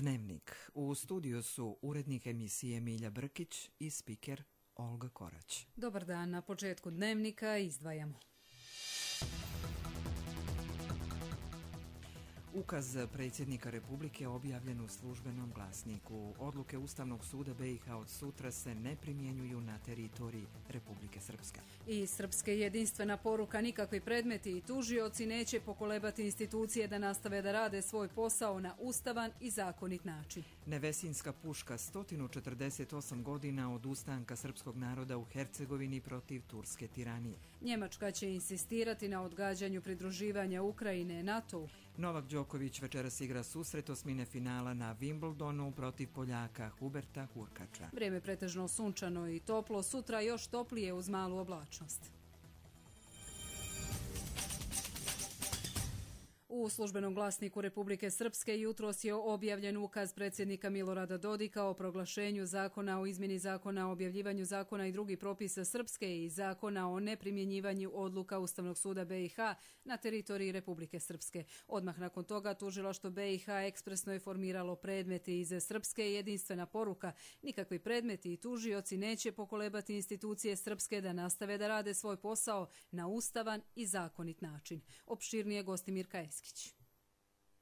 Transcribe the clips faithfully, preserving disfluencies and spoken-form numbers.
Dnevnik. U studiju su urednik emisije Milja Brkić i spiker Olga Korać. Dobar dan, na početku Dnevnika izdvajamo. Ukaz predsjednika Republike objavljen u službenom glasniku. Odluke Ustavnog suda B i H od sutra se ne primjenjuju na teritoriji Republike Srpske. I Srpske jedinstvena poruka: nikakvi predmeti i tužioci neće pokolebati institucije da nastave da rade svoj posao na ustavan i zakonit način. Nevesinska puška, sto četrdeset osam godina od ustanka srpskog naroda u Hercegovini protiv turske tiranije. Njemačka će insistirati na odgađanju pridruživanja Ukrajine NATO-u. Novak Đoković večeras igra susret osmine finala na Wimbledonu protiv Poljaka Huberta Hurkača. Vrijeme pretežno sunčano i toplo, sutra još toplije uz malu oblačnost. U službenom glasniku Republike Srpske jutros je objavljen ukaz predsjednika Milorada Dodika o proglašenju zakona o izmjeni zakona o objavljivanju zakona i drugih propisa Srpske i zakona o neprimjenjivanju odluka Ustavnog suda B i H na teritoriji Republike Srpske. Odmah nakon toga tužilaštvo B i H ekspresno je formiralo predmeti iz Srpske i jedinstvena poruka: nikakvi predmeti i tužioci neće pokolebati institucije Srpske da nastave da rade svoj posao na ustavan i zakonit način. Opširnije Gostimir Kajeski.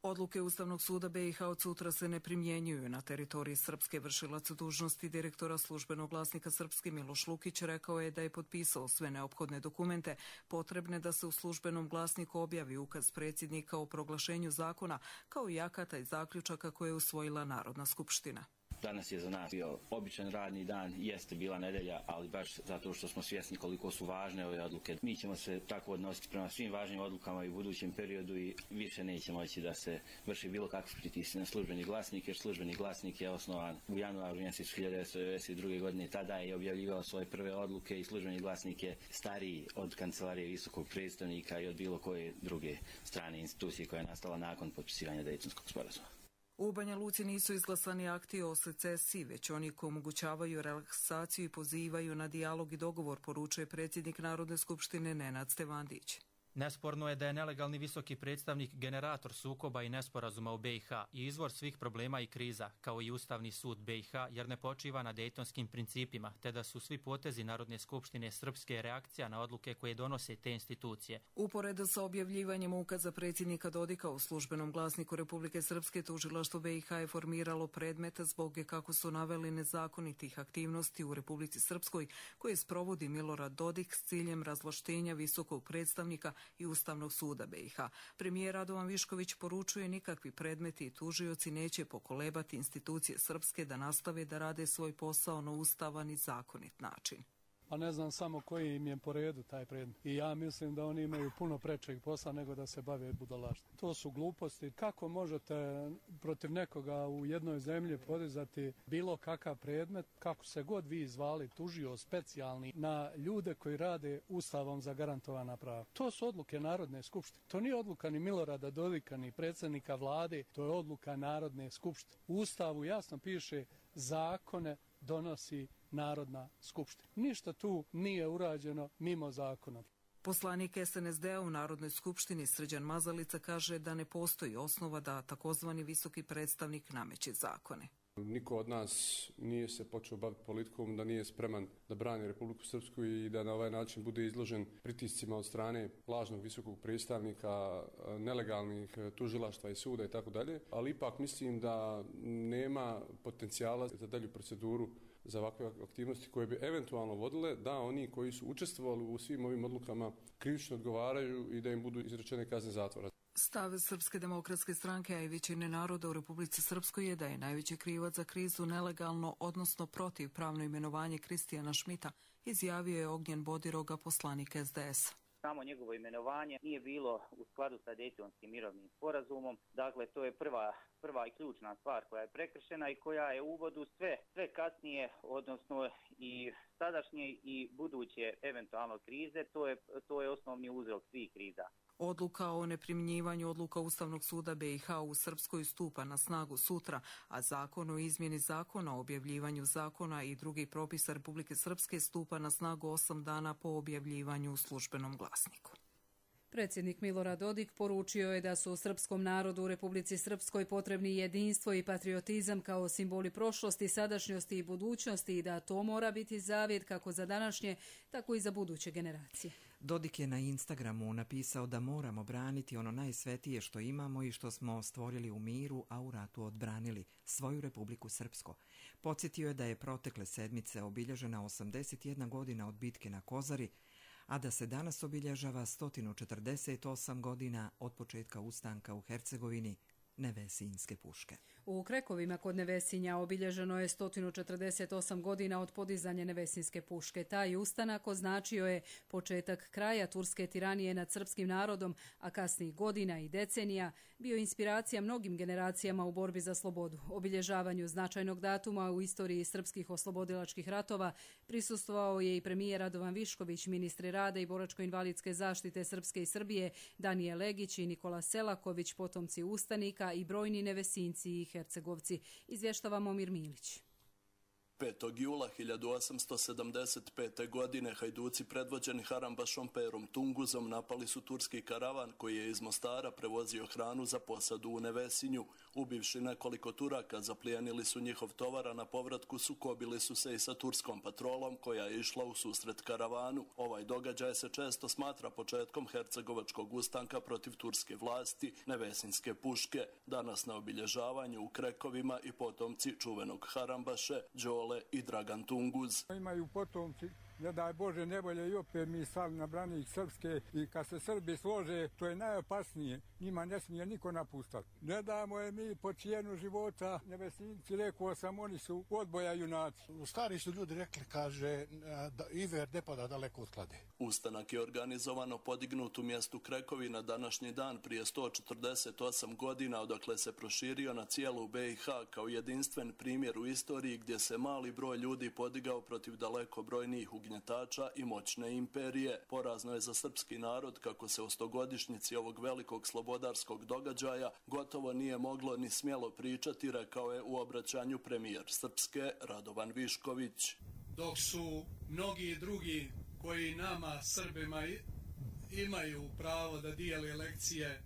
Odluke Ustavnog suda B i H od sutra se ne primjenjuju na teritoriji Srpske. Vršilac dužnosti direktora službenog glasnika Srpske Miloš Lukić rekao je da je potpisao sve neophodne dokumente potrebne da se u službenom glasniku objavi ukaz predsjednika o proglašenju zakona, kao i akata i zaključaka koje je usvojila Narodna skupština. Danas je za nas bio običan radni dan, jeste bila nedelja, ali baš zato što smo svjesni koliko su važne ove odluke. Mi ćemo se tako odnositi prema svim važnim odlukama i u budućem periodu i više neće moći da se vrši bilo kakve pritisci na službeni glasnik, jer službeni glasnik je osnovan u januaru mjesecu hiljadu devetsto devedeset druge. godine. Tada je objavljivao svoje prve odluke i službeni glasnik je stariji od kancelarije visokog predstavnika i od bilo koje druge strane institucije koja je nastala nakon potpisivanja Dejtonskog sporazuma. U Banja Luci nisu izglasani akti o secesiji, već oni koji omogućavaju relaksaciju i pozivaju na dijalog i dogovor, poručuje predsjednik Narodne skupštine Nenad Stevandić. Nesporno je da je nelegalni visoki predstavnik generator sukoba i nesporazuma u B i H i izvor svih problema i kriza, kao i Ustavni sud B i H, jer ne počiva na dejtonskim principima, te da su svi potezi Narodne skupštine Srpske reakcija na odluke koje donose te institucije. Uporedo sa objavljivanjem ukaza predsjednika Dodika u službenom glasniku Republike Srpske, tužilaštvo B i H je formiralo predmeta zbog, kako su naveli, nezakonitih aktivnosti u Republici Srpskoj koje sprovodi Milorad Dodik s ciljem razvlaštenja visokog predstavnika i Ustavnog suda B i H. Premijer Radovan Višković poručuje: nikakvi predmeti i tužioci neće pokolebati institucije Srpske da nastave da rade svoj posao na ustavan i zakonit način. A ne znam samo koji im je po redu taj predmet. I ja mislim da oni imaju puno prečeg posla nego da se bave budalaštvom. To su gluposti. Kako možete protiv nekoga u jednoj zemlji podizati bilo kakav predmet, kako se god vi zvali, tužio specijalni, na ljude koji rade ustavom zagarantovana prava? To su odluke Narodne skupštine. To nije odluka ni Milorada Dodika, ni predsjednika vlade, to je odluka Narodne skupštine. U Ustavu jasno piše: zakone donosi Narodna skupština. Ništa tu nije urađeno mimo zakona. Poslanik S N S D-a u Narodnoj skupštini Srđan Mazalica kaže da ne postoji osnova da takozvani visoki predstavnik nameće zakone. Niko od nas nije se počeo baviti politikom da nije spreman da brani Republiku Srpsku i da na ovaj način bude izložen pritiscima od strane lažnog visokog predstavnika, nelegalnih tužilaštva i suda i tako dalje. Ali ipak mislim da nema potencijala za dalju proceduru za ovakve aktivnosti koje bi eventualno vodile da oni koji su učestvovali u svim ovim odlukama krivično odgovaraju i da im budu izrečene kazne zatvora. Stav Srpske demokratske stranke, a i većine naroda u Republici Srpskoj je da je najveći krivac za krizu nelegalno, odnosno protivpravno imenovanje Kristijana Šmita, izjavio je Ognjen Bodiroga, poslanik S D S. Samo njegovo imenovanje nije bilo u skladu sa Dejtonskim mirovnim sporazumom. Dakle, to je prva, prva i ključna stvar koja je prekršena i koja je u uvodu sve, sve kasnije, odnosno i sadašnje i buduće eventualno krize. To je, to je osnovni uzrok svih kriza. Odluka o neprimjenjivanju odluka Ustavnog suda B i H u Srpskoj stupa na snagu sutra, a zakon o izmjeni zakona o objavljivanju zakona i drugih propisa Republike Srpske stupa na snagu osam dana po objavljivanju u službenom glasniku. Predsjednik Milorad Dodik poručio je da su srpskom narodu u Republici Srpskoj potrebni jedinstvo i patriotizam kao simboli prošlosti, sadašnjosti i budućnosti i da to mora biti zavjet kako za današnje, tako i za buduće generacije. Dodik je na Instagramu napisao da moramo braniti ono najsvetije što imamo i što smo stvorili u miru, a u ratu odbranili, svoju Republiku Srpsko. Podsjetio je da je protekle sedmice obilježena osamdeset jedna godina od bitke na Kozari, a da se danas obilježava sto četrdeset osam godina od početka ustanka u Hercegovini Nevesinjske puške. U Krekovima kod Nevesinja obilježeno je sto četrdeset osam godina od podizanja Nevesinjske puške. Taj ustanak označio je početak kraja turske tiranije nad srpskim narodom, a kasnijih godina i decenija bio inspiracija mnogim generacijama u borbi za slobodu. Obilježavanju značajnog datuma u istoriji srpskih oslobodilačkih ratova prisustvovao je i premijer Radovan Višković, ministri rada i boračko-invalidske zaštite Srpske i Srbije, Danije Legić i Nikola Selaković, potomci ustanika i brojni Nevesinci i Hercegovci. Izvještava Momir Milić. petog jula hiljadu osamsto sedamdeset pete. godine hajduci predvođeni Harambašom Perom Tunguzom napali su turski karavan koji je iz Mostara prevozio hranu za posadu u Nevesinju. Ubivši nekoliko Turaka, zaplijenili su njihov tovar, a na povratku sukobili su se i sa turskom patrolom koja je išla u susret karavanu. Ovaj događaj se često smatra početkom hercegovačkog ustanka protiv turske vlasti, Nevesinjske puške. Danas na obilježavanju u Krekovima i potomci čuvenog Harambaše, Đole i Dragan Tunguz. Imaju potomci, ne daj Bože, nevolje i opet mi stali na branik Srpske i kad se Srbi slože, to je najopasnije. Njima ne smije niko napustati. Ne damo je mi po cijenu života. Nevesinci, rekao sam, oni su odboja junaci. Stari su ljudi rekli, kaže, da Iver ne pada daleko od Klade. Ustanak je organizovano podignut u mjestu Krekovi na današnji dan prije sto četrdeset osam godina, odakle se proširio na cijelu B i H kao jedinstven primjer u istoriji gdje se mali broj ljudi podigao protiv daleko brojnijih ugnjetača i moćne imperije. Porazno je za srpski narod kako se o stogodišnjici ovog velikog slobodarskog događaja gotovo nije moglo ni smjelo pričati, rekao je u obraćanju premijer Srpske Radovan Višković. Dok su mnogi drugi koji nama Srbima imaju pravo da dijeli lekcije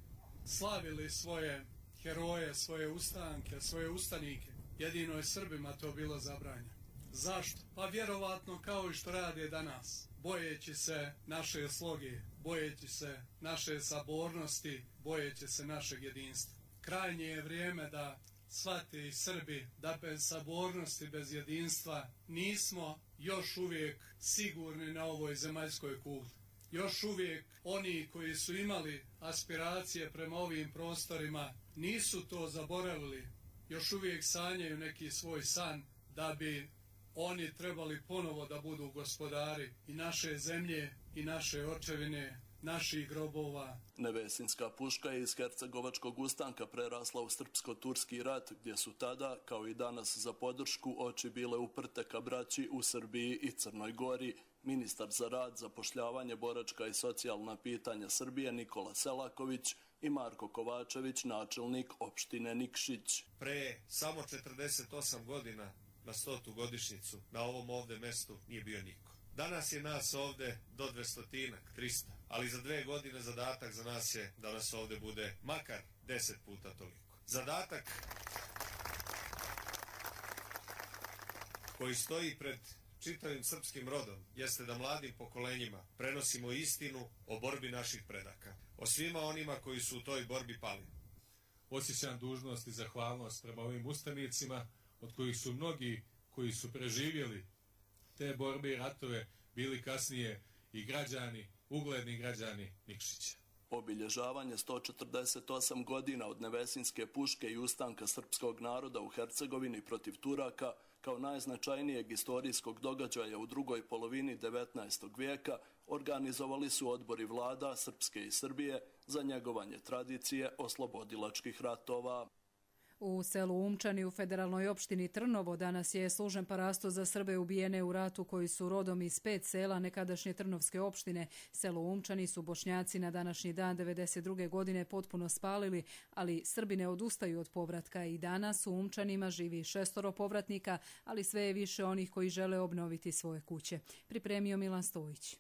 slavili svoje heroje, svoje ustanke, svoje ustanike, jedino je Srbima to bilo zabranjeno. Zašto? Pa vjerovatno kao i što rade danas, bojeći se naše sloge, bojeći se naše sabornosti, bojeći se našeg jedinstva. Krajnje je vrijeme da shvate i Srbi da bez sabornosti, bez jedinstva nismo još uvijek sigurni na ovoj zemaljskoj kugli. Još uvijek oni koji su imali aspiracije prema ovim prostorima nisu to zaboravili. Još uvijek sanjaju neki svoj san da bi oni trebali ponovo da budu gospodari i naše zemlje i naše očevine, naših grobova. Nevesinjska puška je iz hercegovačkog ustanka prerasla u srpsko-turski rat, gdje su tada, kao i danas za podršku, oči bile uprte ka braći u Srbiji i Crnoj Gori. Ministar za rad, zapošljavanje, boračka i socijalna pitanja Srbije Nikola Selaković i Marko Kovačević, načelnik opštine Nikšić. Pre samo četrdeset osam godina na stotu godišnjicu na ovom ovde mestu nije bio niko. Danas je nas ovde do dvestotinak, trista, ali za dve godine zadatak za nas je da nas ovde bude makar deset puta toliko. Zadatak koji stoji pred čitavim srpskim rodom jeste da mladim pokolenjima prenosimo istinu o borbi naših predaka, o svima onima koji su u toj borbi pali. Osjećam dužnost i zahvalnost prema ovim ustanicima, od kojih su mnogi koji su preživjeli te borbe i ratove bili kasnije i građani, ugledni građani Nikšića. Obilježavanje sto četrdeset osam godina od Nevesinjske puške i ustanka srpskog naroda u Hercegovini protiv Turaka kao najznačajnijeg istorijskog događaja u drugoj polovini devetnaestog vijeka organizovali su odbori vlada Srpske i Srbije za njegovanje tradicije oslobodilačkih ratova. U selu Umčani u federalnoj opštini Trnovo danas je služen parasto za Srbe ubijene u ratu koji su rodom iz pet sela nekadašnje Trnovske opštine. Selo Umčani su Bošnjaci na današnji dan devedeset druge godine potpuno spalili, ali Srbi ne odustaju od povratka i danas u Umčanima živi šestoro povratnika, ali sve je više onih koji žele obnoviti svoje kuće. Pripremio Milan Stojić.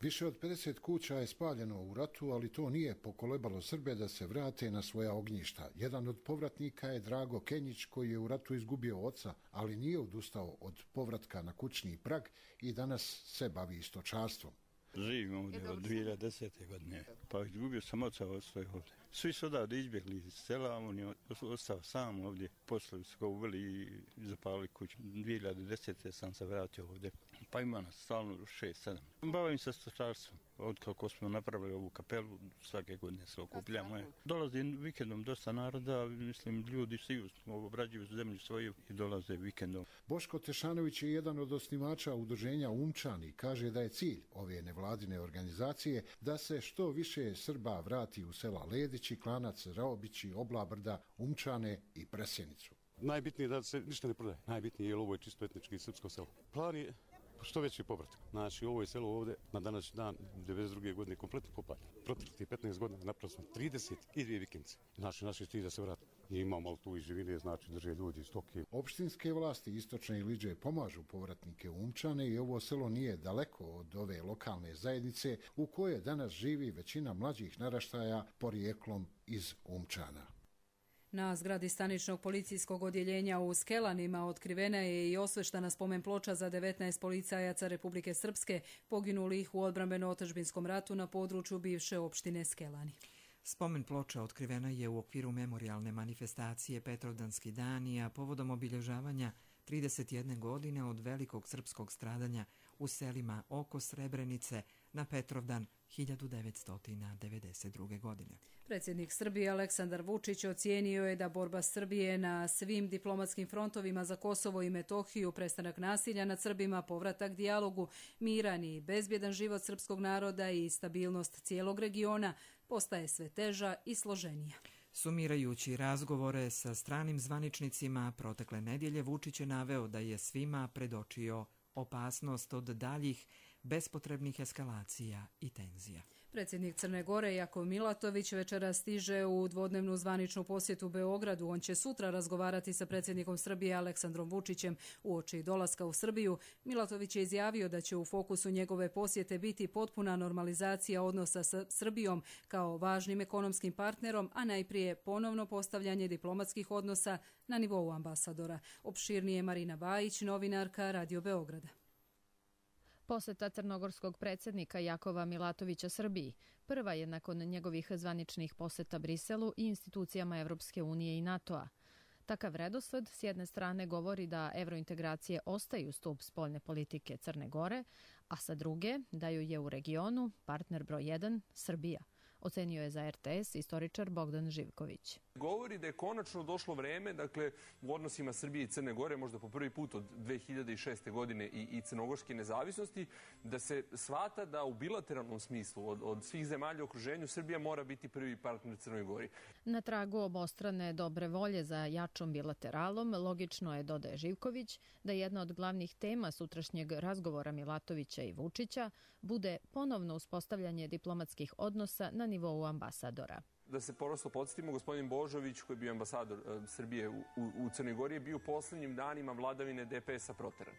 Više od pedeset kuća je spaljeno u ratu, ali to nije pokolebalo Srbe da se vrate na svoja ognjišta. Jedan od povratnika je Drago Kenjić, koji je u ratu izgubio oca, ali nije odustao od povratka na kućni prag i danas se bavi stočarstvom. Živim ovdje od dvije hiljade desete. godine, pa izgubio sam oca, ostao ovdje. Svi su odavde izbjegli iz sela, on je ostao sam ovdje. Posle su ga uveli i zapalili kuću. dvije hiljade desete. sam se vratio ovdje, pa ima nas stalno šest sedam. Bavim se stočarstvom. Od kako smo napravili ovu kapelu, svake godine se okupljamo. Dolazi vikendom dosta naroda, mislim, ljudi svi obrađuju zemlju svoju i dolaze vikendom. Boško Tešanović je jedan od osnivača udruženja Umčani. Kaže da je cilj ove nevladine organizacije da se što više Srba vrati u sela Ledići, Klanac, Raobići, Oblabrda, Umčane i Presjenicu. Najbitnije je da se ništa ne prodaje. Najbitnije je jer ovo je čisto etnički srpsko selo. Plan je što veći povratak. Znači, ovo je selo ovdje na današnji dan devedeset druge. godine kompletno popaljeno. Proteklih petnaest godina napravili smo trideset dvije vikendice. Znači, naši cilj da se vrati. I imamo tu i živine, znači drže ljudi, stoke. Opštinske vlasti Istočne Iliđe pomažu povratnike u Umčane i ovo selo nije daleko od ove lokalne zajednice u kojoj danas živi većina mlađih naraštaja porijeklom iz Umčana. Na zgradi staničnog policijskog odjeljenja u Skelanima otkrivena je i osveštana spomen ploča za devetnaest policajaca Republike Srpske poginulih u odbrambeno-otadžbinskom ratu na području bivše opštine Skelani. Spomen ploča otkrivena je u okviru memorijalne manifestacije Petrovdanski dani, a povodom obilježavanja trideset jedne godine od velikog srpskog stradanja u selima oko Srebrenice na Petrovdan hiljadu devetsto devedeset druge. godine. Predsjednik Srbije Aleksandar Vučić ocijenio je da borba Srbije na svim diplomatskim frontovima za Kosovo i Metohiju, prestanak nasilja nad Srbima, povratak dijalogu, miran i bezbjedan život srpskog naroda i stabilnost cijelog regiona postaje sve teža i složenija. Sumirajući razgovore sa stranim zvaničnicima protekle nedjelje, Vučić je naveo da je svima predočio opasnost od daljih bespotrebnih eskalacija i tenzija. Predsjednik Crne Gore Jakov Milatović večera stiže u dvodnevnu zvaničnu posjetu Beogradu. On će sutra razgovarati sa predsjednikom Srbije Aleksandrom Vučićem uoči dolaska u Srbiju. Milatović je izjavio da će u fokusu njegove posjete biti potpuna normalizacija odnosa sa Srbijom kao važnim ekonomskim partnerom, a najprije ponovno postavljanje diplomatskih odnosa na nivou ambasadora. Opširnije Marina Bajić, novinarka Radio Beograda. Poseta crnogorskog predsjednika Jakova Milatovića Srbiji prva je nakon njegovih zvaničnih poseta Briselu i institucijama Evropske unije i NATO-a. Takav redosled s jedne strane govori da evrointegracije ostaju stup spoljne politike Crne Gore, a sa druge da ju je u regionu partner broj jedan Srbija, ocenio je za R T S istoričar Bogdan Živković. Govori da je konačno došlo vreme, dakle, u odnosima Srbije i Crne Gore, možda po prvi put od dve hiljade šeste. godine i, i crnogorske nezavisnosti, da se shvata da u bilateralnom smislu od, od svih zemalja u okruženju Srbija mora biti prvi partner Crnoj Gori. Na tragu obostrane dobre volje za jačom bilateralom, logično je, dodaje Živković, da jedna od glavnih tema sutrašnjeg razgovora Milatovića i Vučića bude ponovno uspostavljanje diplomatskih odnosa na nivou ambasadora. Da se prosto podsjetimo, gospodin Božović, koji je bio ambasador e, Srbije u, u, u Crnoj Gori, je bio u posljednjim danima vladavine D P S-a proteran.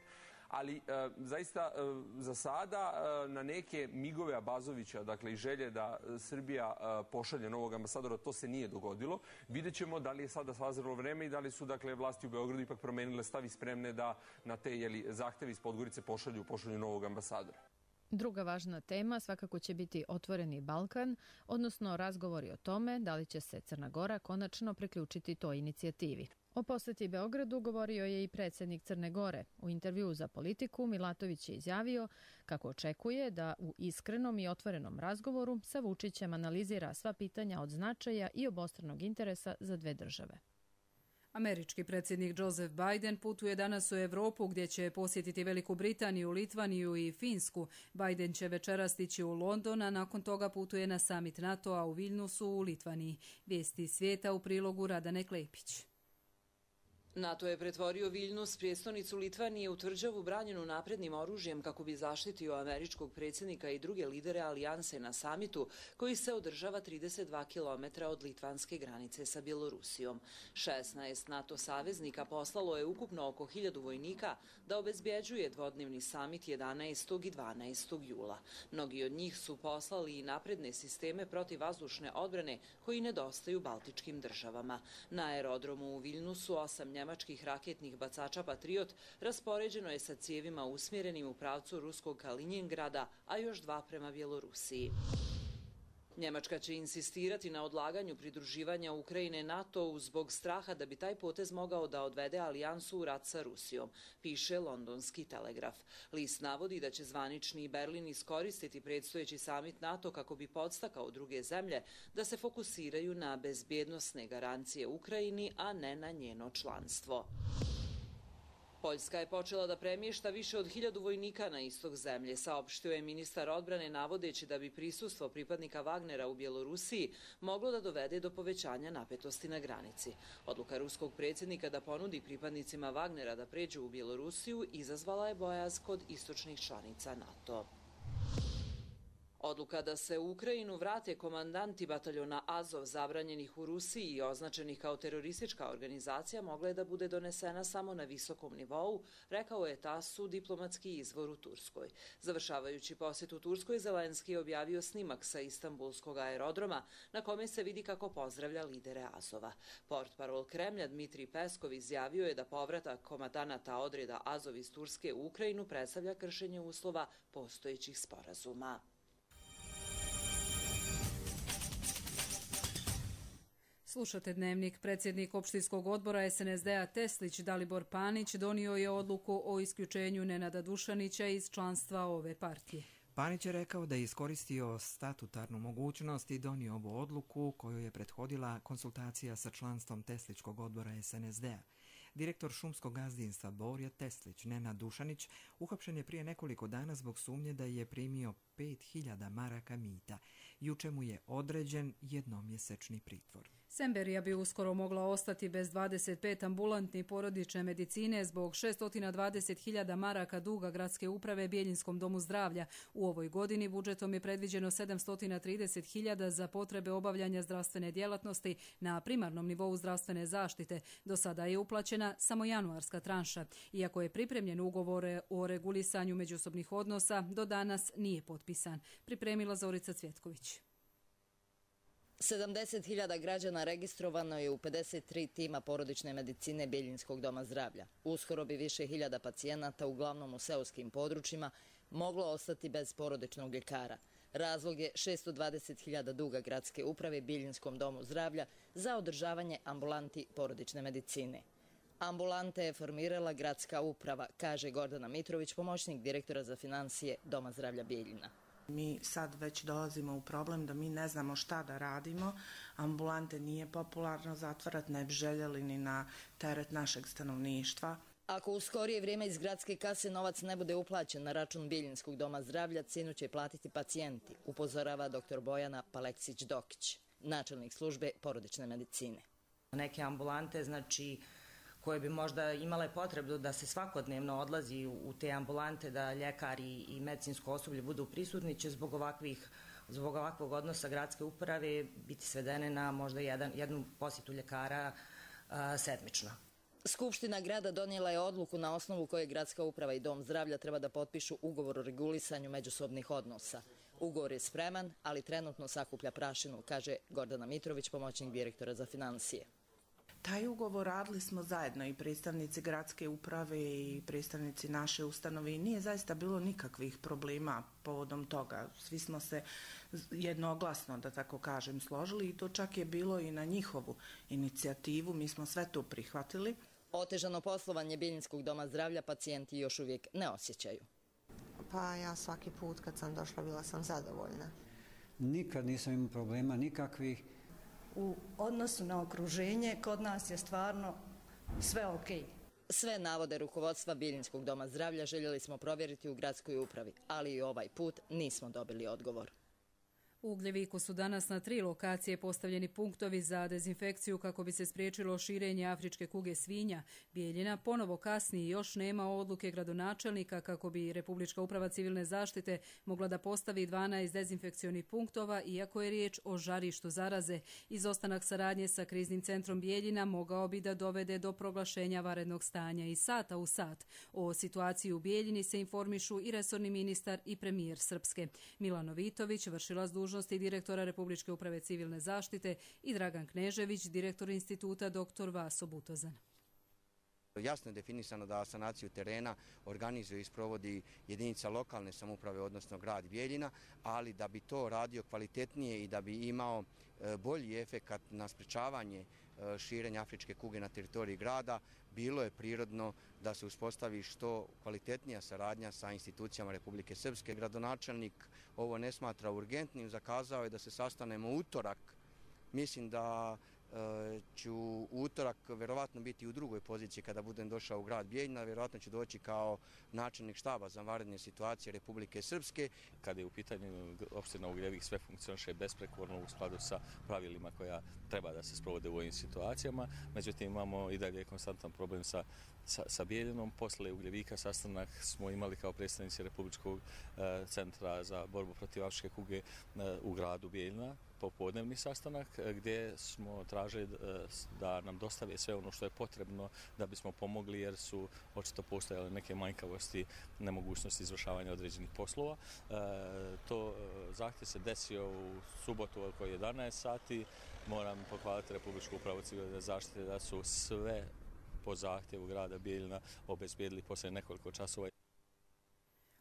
Ali e, zaista e, za sada e, na neke migove Abazovića, dakle i želje da Srbija e, pošalje novog ambasadora, to se nije dogodilo. Vidjet ćemo da li je sada sazrelo vreme i da li su, dakle, vlasti u Beogradu ipak promenile stav i spremne da na te, jeli, zahteve iz Podgorice pošalju, pošalju novog ambasadora. Druga važna tema svakako će biti Otvoreni Balkan, odnosno razgovori o tome da li će se Crna Gora konačno priključiti toj inicijativi. O posjeti Beogradu govorio je i predsjednik Crne Gore. U intervjuu za Politiku Milatović je izjavio kako očekuje da u iskrenom i otvorenom razgovoru sa Vučićem analizira sva pitanja od značaja i obostranog interesa za dve države. Američki predsjednik Joseph Biden putuje danas u Evropu gdje će posjetiti Veliku Britaniju, Litvaniju i Finsku. Biden će večeras stići u London, a nakon toga putuje na summit NATO-a u Vilnusu u Litvaniji. Vijesti svijeta u prilogu Radane Klepić. NATO je pretvorio Viljnus, prijestolnicu Litvanije, u tvrđavu branjenu naprednim oružjem kako bi zaštitio američkog predsjednika i druge lidere alijanse na samitu koji se održava trideset dva kilometra od litvanske granice sa Bjelorusijom. šesnaest NATO saveznika poslalo je ukupno oko hiljadu vojnika da obezbjeđuje dvodnevni samit jedanaestog i dvanaestog jula. Mnogi od njih su poslali i napredne sisteme protivvazdušne odbrane koji nedostaju baltičkim državama. Na aerodromu u Viljnusu osam njemačkih raketnih bacača Patriot raspoređeno je sa cijevima usmjerenim u pravcu ruskog Kalinjingrada, a još dva prema Bjelorusiji. Njemačka će insistirati na odlaganju pridruživanja Ukrajine NATO-u zbog straha da bi taj potez mogao da odvede alijansu u rat sa Rusijom, piše Londonski Telegraf. List navodi da će zvanični Berlin iskoristiti predstojeći samit NATO kako bi podstakao druge zemlje da se fokusiraju na bezbjednosne garancije Ukrajini, a ne na njeno članstvo. Poljska je počela da premješta više od hiljadu vojnika na istok zemlje, saopštio je ministar odbrane navodeći da bi prisustvo pripadnika Wagnera u Bjelorusiji moglo da dovede do povećanja napetosti na granici. Odluka ruskog predsjednika da ponudi pripadnicima Wagnera da pređu u Bjelorusiju izazvala je bojaz kod istočnih članica NATO. Odluka da se u Ukrajinu vrate komandanti bataljona Azov zabranjenih u Rusiji i označenih kao teroristička organizacija mogla je da bude donesena samo na visokom nivou, rekao je TASS-u diplomatski izvor u Turskoj. Završavajući posjet u Turskoj, Zelenski je objavio snimak sa Istanbulskog aerodroma na kome se vidi kako pozdravlja lidere Azova. Portparol Kremlja Dmitrij Peskov izjavio je da povratak komandanata odreda Azov iz Turske u Ukrajinu predstavlja kršenje uslova postojećih sporazuma. Slušate Dnevnik. Predsjednik opštinskog odbora es en es de a Teslić Dalibor Panić donio je odluku o isključenju Nenada Dušanića iz članstva ove partije. Panić je rekao da je iskoristio statutarnu mogućnost i donio ovu odluku koju je prethodila konsultacija sa članstvom Tesličkog odbora es en es de a. Direktor šumskog gazdinstva Borja Teslić, Nenad Dušanić, uhapšen je prije nekoliko dana zbog sumnje da je primio pet hiljada maraka mita. Juče mu je određen jednomjesečni pritvor. Semberija bi uskoro mogla ostati bez dvadeset pet ambulantni porodične medicine zbog šesto dvadeset hiljada maraka duga gradske uprave Bjeljinskom domu zdravlja. U ovoj godini budžetom je predviđeno sedamsto trideset hiljada za potrebe obavljanja zdravstvene djelatnosti na primarnom nivou zdravstvene zaštite. Do sada je uplaćena samo januarska tranša. Iako je pripremljen ugovor o regulisanju međusobnih odnosa, do danas nije potpisan. Pripremila Zorica Cvjetković. sedamdeset hiljada građana registrovano je u pedeset tri tima porodične medicine Bjeljinskog doma zdravlja. Uskoro bi više hiljada pacijenata, uglavnom u seoskim područjima, moglo ostati bez porodičnog ljekara. Razlog je šesto dvadeset hiljada duga gradske uprave Bjeljinskom domu zdravlja za održavanje ambulanti porodične medicine. Ambulante je formirala gradska uprava, kaže Gordana Mitrović, pomoćnik direktora za financije Doma zdravlja Bjeljina. Mi sad već dolazimo u problem da mi ne znamo šta da radimo. Ambulante nije popularno zatvarati, ne bi željeli ni na teret našeg stanovništva. Ako u skorije vrijeme iz gradske kase novac ne bude uplaćen na račun Bjeljinskog doma zdravlja, cijenu će platiti pacijenti, upozorava doktor Bojana Paleksić-Dokić, načelnik službe porodične medicine. Neke ambulante, znači, koje bi možda imale potrebu da se svakodnevno odlazi u te ambulante, da ljekari i medicinsko osoblje budu prisutni, će zbog ovakvih, zbog ovakvog odnosa gradske uprave biti svedene na možda jedan, jednu posjetu ljekara a, sedmično. Skupština grada donijela je odluku na osnovu koje gradska uprava i dom zdravlja treba da potpišu ugovor o regulisanju međusobnih odnosa. Ugovor je spreman, ali trenutno sakuplja prašinu, kaže Gordana Mitrović, pomoćnik direktora za financije. Taj ugovor radili smo zajedno i predstavnici gradske uprave i predstavnici naše ustanove i nije zaista bilo nikakvih problema povodom toga. Svi smo se jednoglasno, da tako kažem, složili i to čak je bilo i na njihovu inicijativu. Mi smo sve to prihvatili. Otežano poslovanje Bjeljinskog doma zdravlja pacijenti još uvijek ne osjećaju. Pa ja svaki put kad sam došla bila sam zadovoljna. Nikad nisam imao problema nikakvih. U odnosu na okruženje kod nas je stvarno sve okej. Sve navode rukovodstva Bjeljinskog doma zdravlja željeli smo provjeriti u gradskoj upravi, ali i ovaj put nismo dobili odgovor. U Ugljeviku su danas na tri lokacije postavljeni punktovi za dezinfekciju kako bi se spriječilo širenje afričke kuge svinja. Bijeljina ponovo kasni i još nema odluke gradonačelnika kako bi Republička uprava civilne zaštite mogla da postavi dvanaest dezinfekcionih punktova, iako je riječ o žarištu zaraze. Izostanak saradnje sa kriznim centrom Bijeljina mogao bi da dovede do proglašenja vanrednog stanja i sata u sat. O situaciji u Bijeljini se informišu i resorni ministar i premijer Srpske. Milano Vitović, vršilac dužnosti direktora Republičke uprave civilne zaštite, i Dragan Knežević, direktor instituta doktor Vaso Butozan. Jasno je definisano da sanaciju terena organizuje i sprovodi jedinica lokalne samouprave, odnosno grad Bijeljina, ali da bi to radio kvalitetnije i da bi imao bolji efekat na sprečavanje širenja afričke kuge na teritoriji grada, bilo je prirodno da se uspostavi što kvalitetnija saradnja sa institucijama Republike Srpske. Gradonačelnik ovo ne smatra urgentnim, zakazao je da se sastanemo utorak. Mislim da ću utorak verovatno biti u drugoj poziciji kada budem došao u grad Bijeljina, verovatno ću doći kao načelnik štaba za vanredne situacije Republike Srpske. Kada je u pitanju opština Ugljevik, sve funkcioniše besprekorno u skladu sa pravilima koja treba da se sprovode u ovim situacijama. Međutim, imamo i dalje konstantan problem sa, sa, sa Bijeljinom. Posle Ugljevika sastanak smo imali kao predstavnici Republičkog e, centra za borbu protiv afričke kuge e, u gradu Bijeljina, popodnevni sastanak gdje smo tražili da nam dostave sve ono što je potrebno da bismo pomogli, jer su očito postojale neke manjkavosti, nemogućnosti izvršavanja određenih poslova. E, to zahtjev se desio u subotu oko jedanaest sati. Moram pohvaliti Republičku upravu civilne zaštite da su sve po zahtjevu grada Bijeljina obezbijedili poslije nekoliko časova.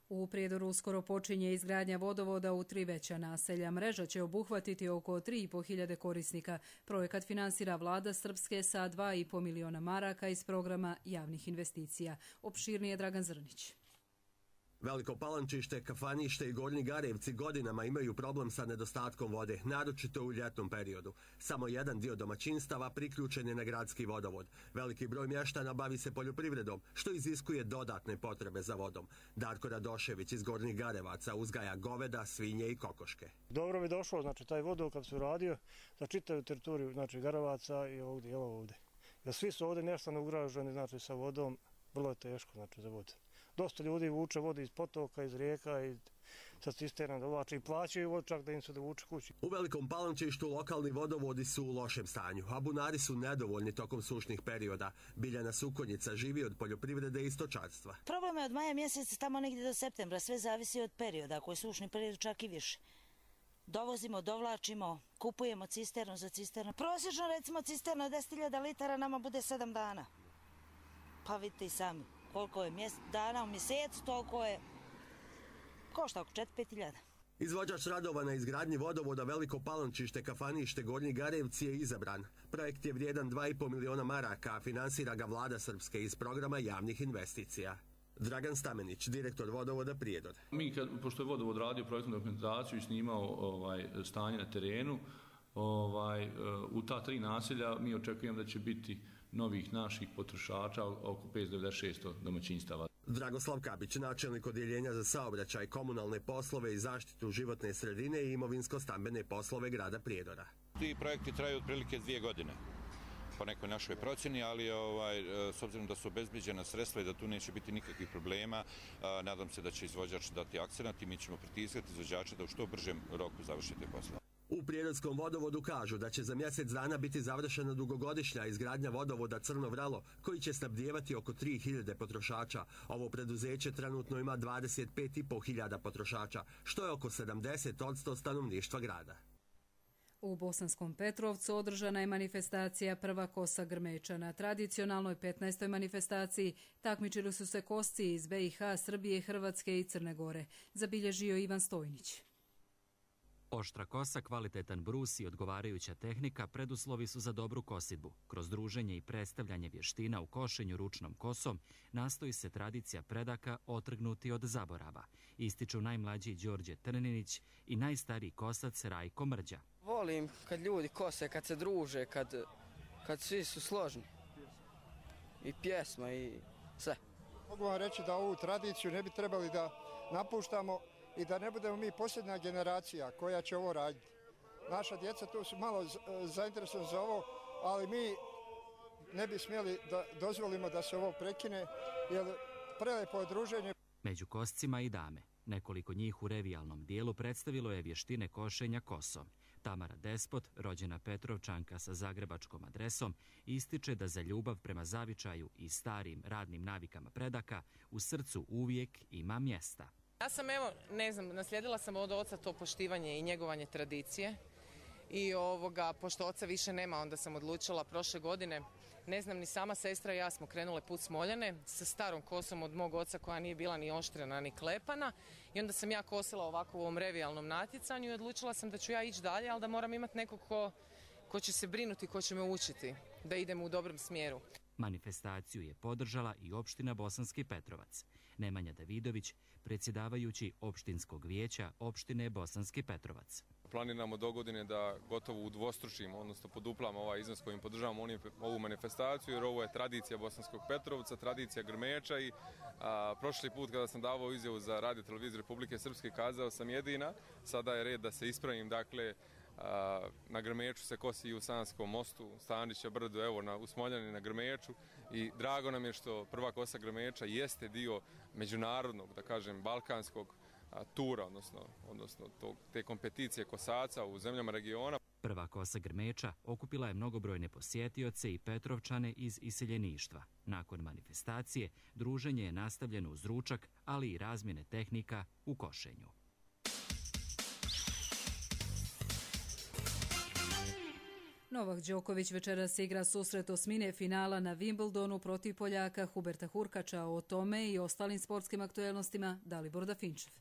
U Prijedoru uskoro počinje izgradnja vodovoda u tri veća naselja. Mreža će obuhvatiti oko tri i po hiljade korisnika. Projekat finansira vlada Srpske sa dva i po miliona maraka iz programa javnih investicija. Opširnije Dragan Zrnić. Veliko Palančište, Kafanište i Gornji Garevci godinama imaju problem sa nedostatkom vode, naročito u ljetnom periodu. Samo jedan dio domaćinstava priključen je na gradski vodovod. Veliki broj mještana bavi se poljoprivredom, što iziskuje dodatne potrebe za vodom. Darko Radošević iz Gornjih Garevaca uzgaja goveda, svinje i kokoške. Dobro bi došlo, znači taj vodovod kad se uradio za čitavu teritoriju, znači Garevaca i ovdje, evo ovdje. Jer svi su ovdje mještano ugraženi, znači sa vodom, vrlo je teško, znači za vodu. Dosta ljudi vuče vode iz potoka, iz rijeka i sa cisterna dovlače i plaćaju vodu čak da im se dovuče kući. U Velikom Palančištu lokalni vodovodi su u lošem stanju, a bunari su nedovoljni tokom sušnih perioda. Biljana Sukonjica živi od poljoprivrede i stočarstva. Problem je od maja mjeseca tamo negdje do septembra, sve zavisi od perioda, ako je sušni period čak i više. Dovozimo, dovlačimo, kupujemo cisternu za cisternu. Prosječno recimo cisterna deset hiljada litara nama bude sedam dana. Pa vidite i sami. Koliko je mjese, dana u mjesecu, toliko je, košta oko četiri do pet hiljada. Izvođač radova na izgradnji vodovoda Veliko Palančište, Kafanište, Gornji Garevci je izabran. Projekt je vrijedan dva i po miliona maraka, a finansira ga vlada Srpske iz programa javnih investicija. Dragan Stamenić, direktor vodovoda Prijedor. Mi, kad, pošto je vodovod radio projektnu dokumentaciju i snimao ovaj, stanje na terenu, ovaj, u ta tri naselja mi očekujemo da će biti novih naših potrošača oko petsto do šesto domaćinstava. Dragoslav Kabić, načelnik odjeljenja za saobraćaj, komunalne poslove i zaštitu životne sredine i imovinsko-stambene poslove grada Prijedora. Ti projekti traju otprilike dvije godine po nekoj našoj procjeni, ali ovaj, s obzirom da su obezbeđena sredstva i da tu neće biti nikakvih problema, nadam se da će izvođač dati akcenat i mi ćemo pritiskati izvođača da u što bržem roku završite posla. U Prijedorskom vodovodu kažu da će za mjesec dana biti završena dugogodišnja izgradnja vodovoda Crno Vrelo, koji će snabdijevati oko tri hiljade potrošača. Ovo preduzeće trenutno ima dvadeset pet i po hiljada potrošača, što je oko sedamdeset posto stanovništva grada. U Bosanskom Petrovcu održana je manifestacija Prva kosa Grmeča. Na tradicionalnoj petnaestoj manifestaciji takmičili su se kosci iz B i H, Srbije, Hrvatske i Crne Gore. Zabilježio Ivan Stojnić. Oštra kosa, kvalitetan brus i odgovarajuća tehnika preduslovi su za dobru kosidbu. Kroz druženje i predstavljanje vještina u košenju ručnom kosom nastoji se tradicija predaka otrgnuti od zaborava. Ističu najmlađi Đorđe Trninić i najstariji kosac Rajko Mrđa. Volim kad ljudi kose, kad se druže, kad, kad svi su složni. I pjesma i sve. Mogu vam reći da ovu tradiciju ne bi trebali da napuštamo, i da ne budemo mi posljednja generacija koja će ovo raditi. Naša djeca tu su malo zainteresovani za ovo, ali mi ne bi smjeli da dozvolimo da se ovo prekine, jer prelepo je druženje. Među koscima i dame. Nekoliko njih u revijalnom dijelu predstavilo je vještine košenja kosom. Tamara Despot, rođena Petrovčanka sa zagrebačkom adresom, ističe da za ljubav prema zavičaju i starim radnim navikama predaka u srcu uvijek ima mjesta. Ja sam, evo, ne znam, naslijedila sam od oca to poštivanje i njegovanje tradicije i ovoga, pošto oca više nema, onda sam odlučila prošle godine, ne znam, ni sama sestra i ja smo krenule put Smoljane sa starom kosom od mog oca koja nije bila ni oštrena ni klepana i onda sam ja kosila ovako u ovom revijalnom natjecanju i odlučila sam da ću ja ići dalje, ali da moram imati nekog ko, ko će se brinuti, ko će me učiti da idem u dobrom smjeru. Manifestaciju je podržala i opština Bosanski Petrovac. Nemanja Davidović, predsjedavajući opštinskog vijeća opštine Bosanski Petrovac. Planiramo do godine da gotovo udvostručimo, odnosno poduplamo ovaj iznos kojim podržavamo ovu manifestaciju, jer ovo je tradicija Bosanskog Petrovca, tradicija grmeča i a, prošli put kada sam davao izjavu za Radio televiziju Republike Srpske kazao sam jedina, sada je red da se ispravim, dakle a, na grmeču se kosi i u Sanskom mostu, Stanića brdu, evo na, u Smoljani na grmeču i drago nam je što prva kosa grmeča jeste dio međunarodnog, da kažem, balkanskog tura, odnosno, odnosno tog, te kompeticije kosaca u zemljama regiona. Prva kosa grmeča okupila je mnogobrojne posjetioce i Petrovčane iz iseljeništva. Nakon manifestacije, druženje je nastavljeno uz ručak, ali i razmjene tehnika u košenju. Novak Đoković večeras igra susret osmine finala na Wimbledonu protiv Poljaka Huberta Hurkača. O tome i ostalim sportskim aktuelnostima Dalibor Dafinčev.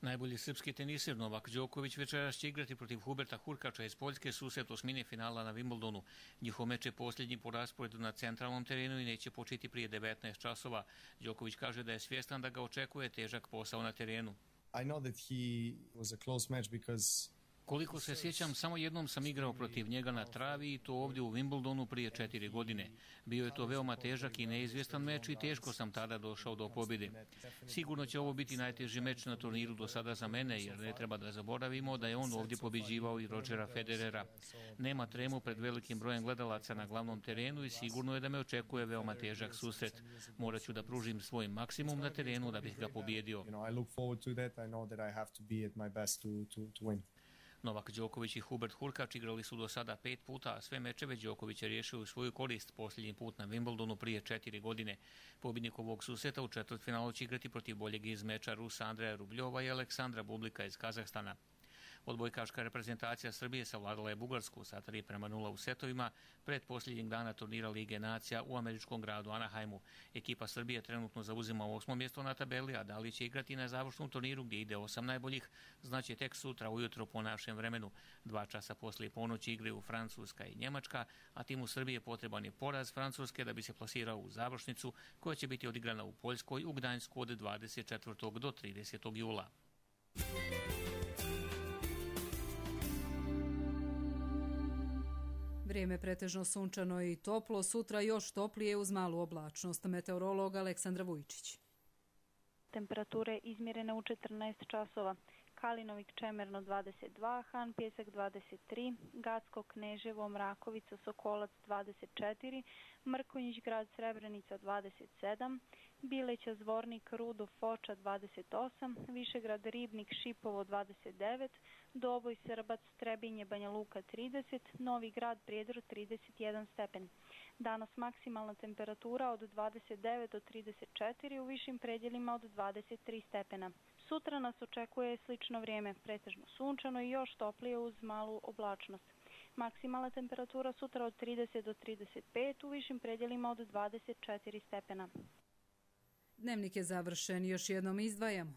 Najbolji srpski tenisir Novak Đoković večeras će igrati protiv Huberta Hurkača iz Poljske susret osmine finala na Wimbledonu. Njihov meč je posljednji po rasporedu na centralnom terenu i neće početi prije devetnaest časova. Đoković kaže da je svjestan da ga očekuje težak posao na terenu. I know that he was a close match because Koliko se sjećam, samo jednom sam igrao protiv njega na travi i to ovdje u Wimbledonu prije četiri godine. Bio je to veoma težak i neizvjestan meč i teško sam tada došao do pobjede. Sigurno će ovo biti najteži meč na turniru do sada za mene, jer ne treba da zaboravimo da je on ovdje pobjeđivao i Rodgera Federera. Nema tremu pred velikim brojem gledalaca na glavnom terenu i sigurno je da me očekuje veoma težak susret. Morat ću da pružim svoj maksimum na terenu da bih ga pobjedio. Novak Đoković i Hubert Hurkač igrali su do sada pet puta, a sve mečeve Đoković je riješio u svoju korist posljednji put na Wimbledonu prije četiri godine. Pobjednik ovog susreta u četvrtfinalu će igrati protiv boljeg iz meča Rusa Andreja Rubljova i Aleksandra Bublika iz Kazahstana. Odbojkaška reprezentacija Srbije savladala je Bugarsku sa tri prema nula u setovima pred posljednjeg dana turnira Lige nacija u američkom gradu Anaheimu. Ekipa Srbije trenutno zauzima osmo mjesto na tabeli, a da li će igrati na završnom turniru gdje ide osam najboljih, znači tek sutra ujutro po našem vremenu. Dva časa poslije ponoći igraju Francuska i Njemačka, a timu Srbije potreban je poraz Francuske da bi se plasirao u završnicu koja će biti odigrana u Poljskoj u Gdańsku od dvadeset četvrtog do tridesetog jula. Vrijeme pretežno sunčano i toplo, sutra još toplije uz malu oblačnost. Meteorolog Aleksandra Vujčić. Temperature izmjerene u četrnaest časova. Kalinovik Čemerno dvadeset dva, Han Pjesak dvadeset tri, Gacko Kneževo, Mrakovica, Sokolac dvadeset četiri, Mrkonjić grad Srebrenica dvadeset sedam, Bileća Zvornik, Rudo, Foča dvadeset osam, Višegrad Ribnik, Šipovo dvadeset devet, Doboj Srbac, Trebinje, Banja Luka trideset, Novi grad Prijedor trideset jedan stepen. Danas maksimalna temperatura od dvadeset devet do trideset četiri, u višim predjelima od dvadeset tri stepena. Sutra nas očekuje slično vrijeme, pretežno sunčano i još toplije uz malu oblačnost. Maksimalna temperatura sutra od trideset do trideset pet, u višim predjelima od dvadeset četiri stepena. Dnevnik je završen, još jednom izdvajamo.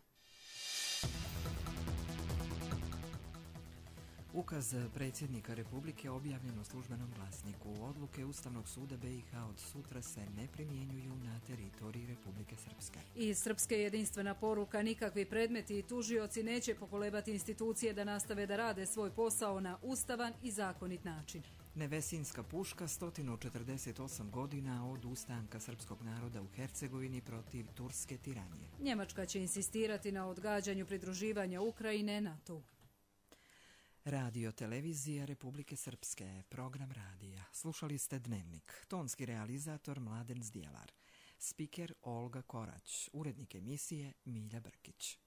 Ukaz predsjednika Republike objavljen u službenom glasniku. Odluke Ustavnog suda B i H od sutra se ne primjenjuju na teritoriji Republike Srpske. Iz Srpske jedinstvena poruka: nikakvi predmeti i tužioci neće pokolebati institucije da nastave da rade svoj posao na ustavan i zakonit način. Nevesinska puška, sto četrdeset osam godina od ustanka srpskog naroda u Hercegovini protiv turske tiranije. Njemačka će insistirati na odgađanju pridruživanja Ukrajine NATO. Radio televizija Republike Srpske, program radija. Slušali ste Dnevnik. Tonski realizator Mladen Zdjelar. Spiker Olga Korać. Urednik emisije Milja Brkić.